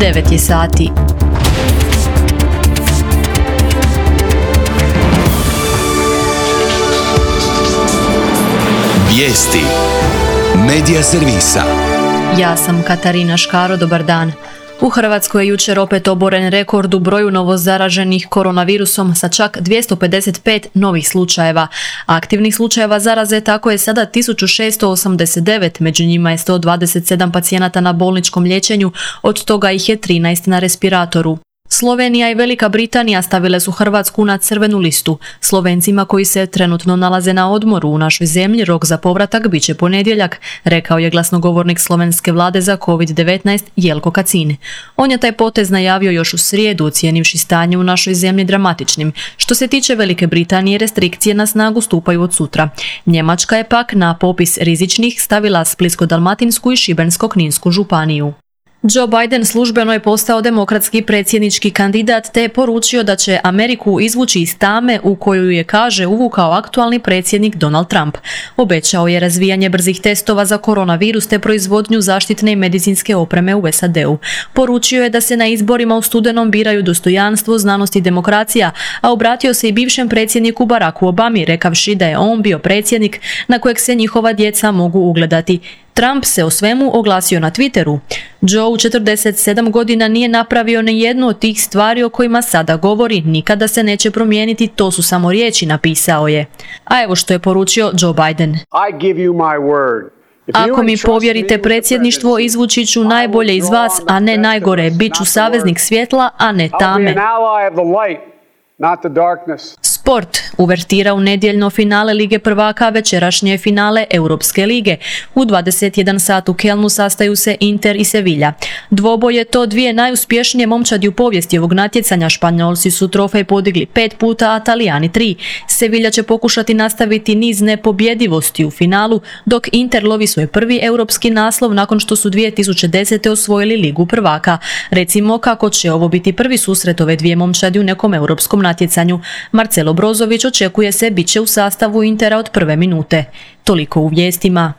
9 je sati. Vijesti Medija servisa. Ja sam Katarina Škaro, dobar dan. U Hrvatskoj je jučer opet oboren rekord u broju novozaraženih koronavirusom sa čak 255 novih slučajeva. Aktivnih slučajeva zaraze tako je sada 1689, među njima je 127 pacijenata na bolničkom liječenju, od toga ih je 13 na respiratoru. Slovenija i Velika Britanija stavile su Hrvatsku na crvenu listu. Slovencima koji se trenutno nalaze na odmoru u našoj zemlji rok za povratak bit će ponedjeljak, rekao je glasnogovornik slovenske vlade za COVID-19 Jelko Kacin. On je taj potez najavio još u srijedu, ocijenivši stanje u našoj zemlji dramatičnim. Što se tiče Velike Britanije, restrikcije na snagu stupaju od sutra. Njemačka je pak na popis rizičnih stavila Splitsko-dalmatinsku i Šibensko-kninsku županiju. Joe Biden službeno je postao demokratski predsjednički kandidat te je poručio da će Ameriku izvući iz tame u koju je, kaže, uvukao aktualni predsjednik Donald Trump. Obećao je razvijanje brzih testova za koronavirus te proizvodnju zaštitne i medicinske opreme u SAD-u. Poručio je da se na izborima u studenom biraju dostojanstvo, znanost i demokracija, a obratio se i bivšem predsjedniku Baracku Obami, rekavši da je on bio predsjednik na kojeg se njihova djeca mogu ugledati. Trump se o svemu oglasio na Twitteru. Joe u 47 godina nije napravio ni jednu od tih stvari o kojima sada govori, nikada se neće promijeniti, to su samo riječi, napisao je. A evo što je poručio Joe Biden. Ako mi povjerite predsjedništvo, izvući ću najbolje iz vas, a ne najgore. Biću saveznik svjetla, a ne tame. Sport. Uvertira u nedjeljno finale Lige prvaka, večerašnje finale Europske lige. U 21 sat u Kelnu sastaju se Inter i Sevilla. Dvoboj je to dvije najuspješnije momčadi u povijesti ovog natjecanja. Španjolci su trofej podigli 5 puta, a Talijani 3. Sevilla će pokušati nastaviti niz nepobjedivosti u finalu, dok Inter lovi svoj prvi europski naslov nakon što su 2010. osvojili Ligu prvaka. Recimo kako će ovo biti prvi susret ove dvije momčadi u nekom europskom natjecanju. Marcelo Brozović očekuje se bit će u sastavu Intera od prve minute. Toliko u vijestima.